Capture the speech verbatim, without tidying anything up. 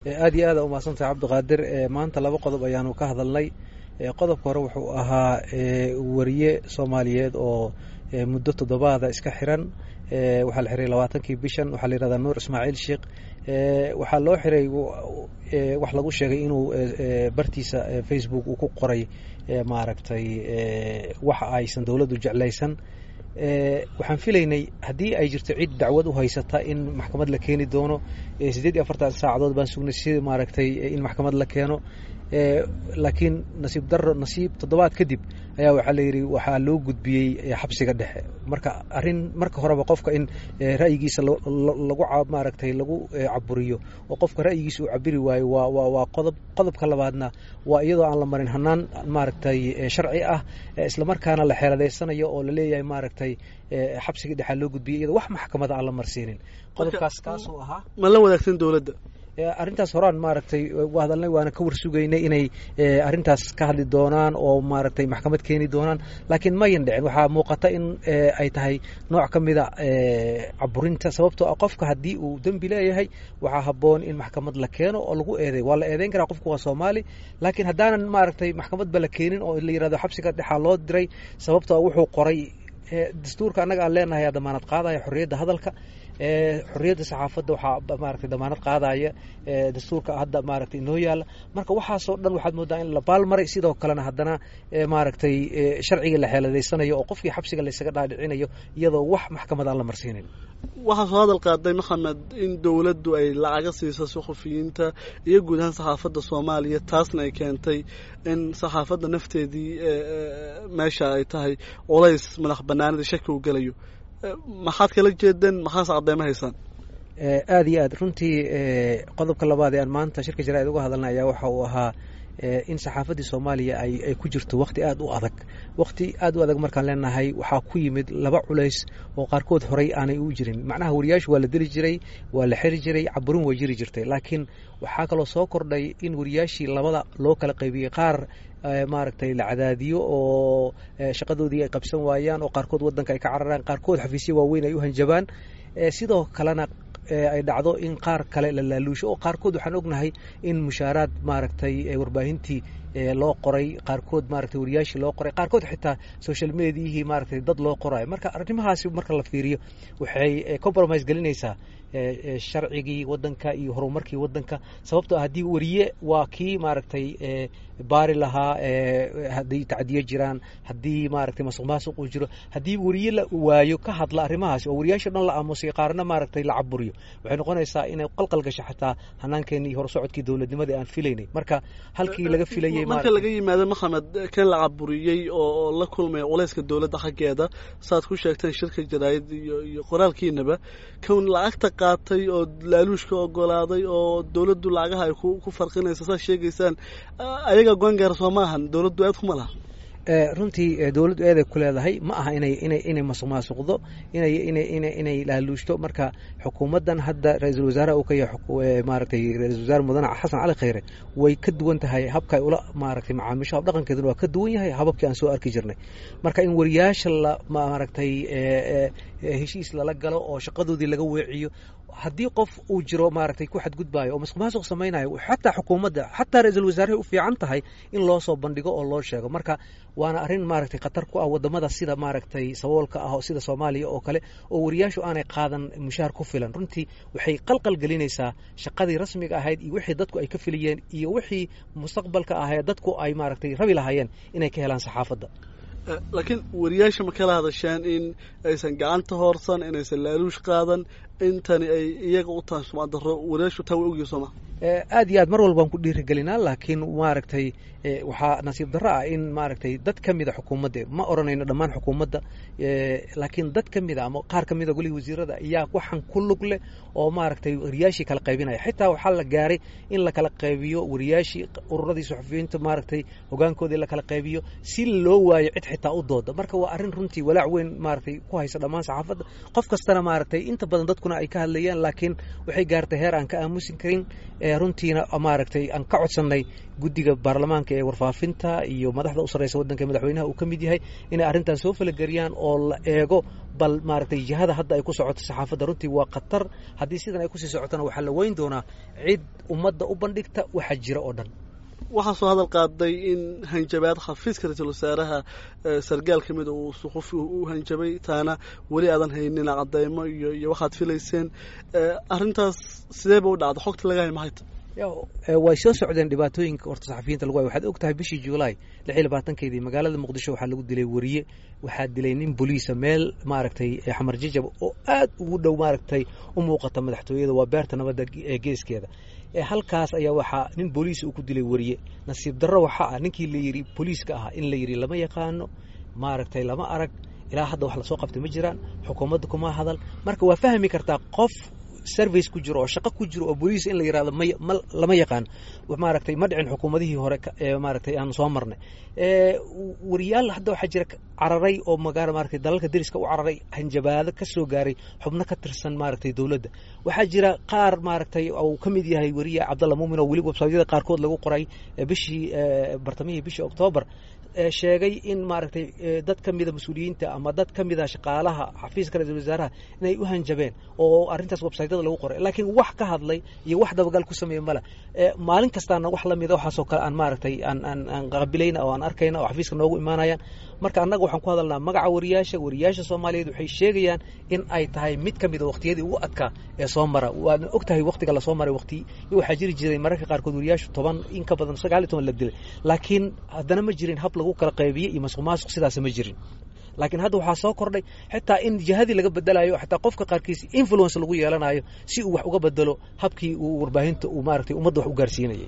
Aad iyo aad a umahadsantahay, Cabdiqaadir. Maanta laba qodob ayaanu ka hadalnay. Qodobka hore wuxuu ahaa wariye Soomaaliyeed oo muddo toddobaada iska xiran. Waxaa la xiray labaatankii bishan. Waxaa la yihahdaa Nuur Ismaaciil Sheekh. Waxaa loo xiray wax lagu sheegay inuu bartiisa Facebook uu ku qoray maaragtay waxa aysan dowladdu jeclaysan. Waxaan filaynay haddii ay jirto cid dacwad u haysata in maxkamad la keeni doono. Siddeed iyo afartan saacadood baan sugnay si maaragtay in maxkamad la keeno, laakiin nasiib daro, nasiib toddobaad kadib ayaa waxaa la yidhi waxaa loo gudbiyey xabsiga dhexe. Marka arrin marka horeba qofka in ra'yigiisa lagu maaragtay lagu caburiyo oo qofka ra'yigiisa uu cabiri waayo waa wa waa qodob. Qodobka labaadna waa iyadoo aan la marin hanaan maaragtay sharci ah, islamarkaana la xeeladeysanayo oo laleeyahay maaragtay xabsiga dhexaa loo gudbiyey iyadoo wax maxkamada aan la marsiinin. Qodobkaas kaasuu ahaa. Ma la wadaagsan dowladda arrintaas? Horaan maaragtay u hadalnay, waana ka warsugaynay inay arrintaas ka hadli doonaan oo maaragtay maxkamad keeni doonaan, laakiin mayan dhicin. Waxaa muuqata in ay tahay nooc ka mida caburinta, sababtoo ah qofka haddii uu dembi leeyahay waxaa habboon in maxkamad la keeno oo lagu eeday. Waa la eedeyn karaa, qofku waa Soomaali, laakiin haddaanan maaragtay maxkamadba la keenin oo la yirahdo xabsiga dhexaa loo diray sababtoo ah wuxuu qoray. Dastuurka annaga aan leenahay aa damaanad qaadaya xorriyadda hadalka, xorriyadda saxaafadda. Waxaa maaragtay damaanad qaadaya dastuurka hadda maaragtay inoo yaalla. Marka waxaasoo dhan waxaad moodaa in la baalmaray, sidoo kalena haddana maaragtay sharciga la xeeladeysanayo oo qofkii xabsiga laysaga dhaadhicinayo iyadoo wax maxkamad aan la marsiinin. Waxaa soo hadal qaaday, Maxamed, in dowladdu ay lacaga siiso suxufiyiinta iyo guud ahaan saxaafadda Soomaaliya, taasna ay keentay in saxaafadda nafteedii meesha ay tahay culays madax banaanida shaki uu gelayo. Maxaad kala jeedeen? Maxaase cadeymo haysaan? Aad iyo aad runtii, qodobka labaad ee aan maanta shirka jaraa'id uga hadalnay ayaa waxa uu ahaa in saxaafaddii Soomaaliya ay ay ku jirto wakhti aad u adag. Wakhti aad u adag markaan leenahay, waxaa ku yimid laba culays oo qaarkood horay aanay u jirin. Macnaha wariyaashu waa la dili jiray, waa la xiri jiray, caburin way jiri jirtay, laakiin waxaa kaloo soo kordhay in wariyaashii labada loo kala qaybiyey: qaar maaragtay la cadaadiyo oo shaqadoodii ay qabsan waayaan oo qaarkood waddanka ay ka cararaan, qaarkood xafiisyo waaweyn ay u hanjabaan, sidoo kalena ay dhacdo in qaar kale la laaluusho oo qaarkood waxaan ognahay in mushaaraad maaragtay warbaahintii loo qoray, qaarkood maaragtay wariyaashii loo qoray, qaarkood xitaa social mediahii maaragtay dad loo qorayo. Marka arrimahaasi marka la fiiriyo waxay compromise gelinaysaa sharcigii waddanka iyo horumarkii waddanka, sababtoo ah haddii wariye waa kii maaragtay baari lahaa haddii tacdiyo jiraan, haddii maaragtay masuq maasuq uu jiro. Haddii wariye la waayo ka hadla arrimahaasi oo wariyaasha dhan la aamusay, qaarna maaragtay la caburiyo, waxay noqonaysaa inay qalqal gasho xataa hanaankeenii iyo horusocodkii dowladnimadii aan filaynay. Marka halkii laga filayay marka laga yimaado, Maxamed, kan la caburiyey oo la kulmaya culayska dowladda xaggeeda, saaad ku sheegteen shirka jaraa'id iyo iyo qoraalkiinaba, kan lacagta qaatay oo laaluushka ogolaaday oo dowladdu lacagaha ay ku farqinayso saad sheegaysaan, ayaga goangaar soo ma ahan? Dowladdu aad kuma laha. Runtii dowladdu eeday ku leedahay. Ma aha inay inay inay masuq maasuqdo, inay inay inay inay laaluushto. Marka xukuumaddan hadda ra-iisul wasaaraha uu ka yahay maaragtay ra-iisul wasaare mudane Xasan Cali Khayre way ka duwan tahay habka ay ula maaragtay macaamisho. Hab dhaqankeeduna waa ka duwan yahay hababkii aan soo arki jirnay. Marka in wariyaasha la maaragtay heshiis lala galo oo shaqadoodii laga weeciyo, haddii qof uu jiro maaragtay ku xadgudbaayo oo masuq maasuq samaynayo, xataa xukuumadda, xataa ra-iisul wasaarahay u fiican tahay in loo soo bandhigo oo loo sheego. Marka waana arrin maaragtay khatar ku ah waddamada sida maaragtay saboolka ah oo sida Soomaaliya oo kale oo wariyaashu aanay qaadan mushaar ku filan. Runtii waxay qalqal gelinaysaa shaqadii rasmiga ahayd iyo wixii dadku ay ka filayeen iyo wixii mustaqbalka ahayd dadku ay maaragtay rabi lahaayeen inay ka helaan saxaafadda. Laakiin wariyaasha ma kala hadasheen in aysan gacanta hoorsan, inaysan laaluush qaadan, intani ay iyaga u tahay sumcad darro? Wariyaashu taa way ogyihin sooma? Aad iyo aad, mar walbaan ku dhiirigelinaa, laakiin maaragtay waxaa nasiib darro ah in maaragtay dad ka mida xukuumadda, ma odhanayno dhammaan xukuumadda, laakiin dad ka mida ama qaar ka mida golihii wasiirada ayaa waxaan ku lug leh oo maaragtay wariyaashii kala qaybinaya. Xitaa waxaa la gaaray in la kala qaybiyo wariyaashii, ururadii suxufiyiinta maaragtay hogaankoodii la kala qaybiyo si loo waayo cid xitaa u dooda. Marka waa arrin runtii walaac weyn maaragtay ku haysa dhammaan saxaafadda, qof kastana maaragtay inta badan dadkuna ay ka hadlayaan, laakiin waxay gaartay heer aan ka aamusin karin. Runtiina maaragtay aan ka codsannay guddiga baarlamaanka ee warfaafinta iyo madaxda u sarreysa waddanka, madaxweynaha uu ka mid yahay, inay arrintan soo falageliyaan oo la eego bal maaragtay jihada hadda ay ku socoto saxaafadda. Runtii waa khatar haddii sidan ay kusii socotona, waxaa la weyn doonaa cid ummadda u bandhigta waxa jira oo dhan. Waxaa soo hadal qaaday in hanjabaad xafiiska ra-iisul wasaaraha sargaal ka mida uu suxufi u hanjabay, taana weli aadan haynin cadeymo iyo iyo waxaad filayseen. Arrintaas sidee ba u dhacda? Xogta laga hay maxay? Way soo socdeen dhibaatooyinka horta saxafiyiinta lagu hayo. Waxaad og tahay bishii Juulaay lix iyo labaatankeedii magaalada Muqdisho waxaa lagu dilay weriye. Waxaa dilay nin boliisa meel maaragtay Xamar Jajab oo aad ugu dhow maaragtay u muuqata madaxtooyada, waa beerta nabadda ee geeskeeda. Halkaas ayaa waxaa nin booliis uu ku dilay weriye. Nasiib darro waxaa ah ninkii la yidhi booliiska ahaa in la yidhi lama yaqaano, maaragtay lama arag, ilaa hadda wax lasoo qabtay ma jiraan, xukuumadda kuma hadal. Marka waa fahmi kartaa qof service ku jiro oo shaqo ku jiro oo booliis in la yirahdo may ma lama yaqaan. Maaragtay ma dhicin xukuumadihii hore ee maaragtay aan soo marnay. Wariyaal hadda waxaa jira cararay oo magaala maaragtay dalalka deriska u cararay, hanjabaado ka soo gaaray xubno ka tirsan maaragtay dowladda. Waxaa jira qaar maaragtay uu ka mid yahay weriye Cabdalla Muumin oo weli websaytyada qaarkood lagu qoray bishii bartamihii bishii Oktoobar sheegay in maaragtay dad ka mida mas-uuliyiinta ama dad ka mida shaqaalaha xafiiska ra-iisul wasaaraha inay u hanjabeen oo arrintaas websaytyada lagu qoray, laakiin wax ka hadlay iyo wax dabagal ku sameeyey male. Maalin kastaana wax lamida waxaasoo kale aan maaragtay aan aan aan qabilayna oo aan arkayna oo xafiiska noogu imaanayaan. Marka annaga waxaan ku hadalnaa magaca wariyaasha. Wariyaasha Soomaaliyeed waxay sheegayaan in ay tahay mid ka mida waqtiyadii ugu adkaa ee soo mara. Waadna og tahay waqtiga lasoo maray, waqti waxaa jiri jiray mararka qaarkood wariyaashu toban in ka badan, sagaal iyo toban la dilay, laakiin haddana ma jirin hab lagu kala qaybiye iyo masuq maasuq sidaas ma jirin. Laakiin hadda waxaa soo kordhay xitaa in jihadii laga bedelayo, xitaa qofka qaarkiis influence lagu yeelanayo si uu wax uga bedelo habkii uu warbaahinta uu maaragtay ummadda wax u gaarsiinayay.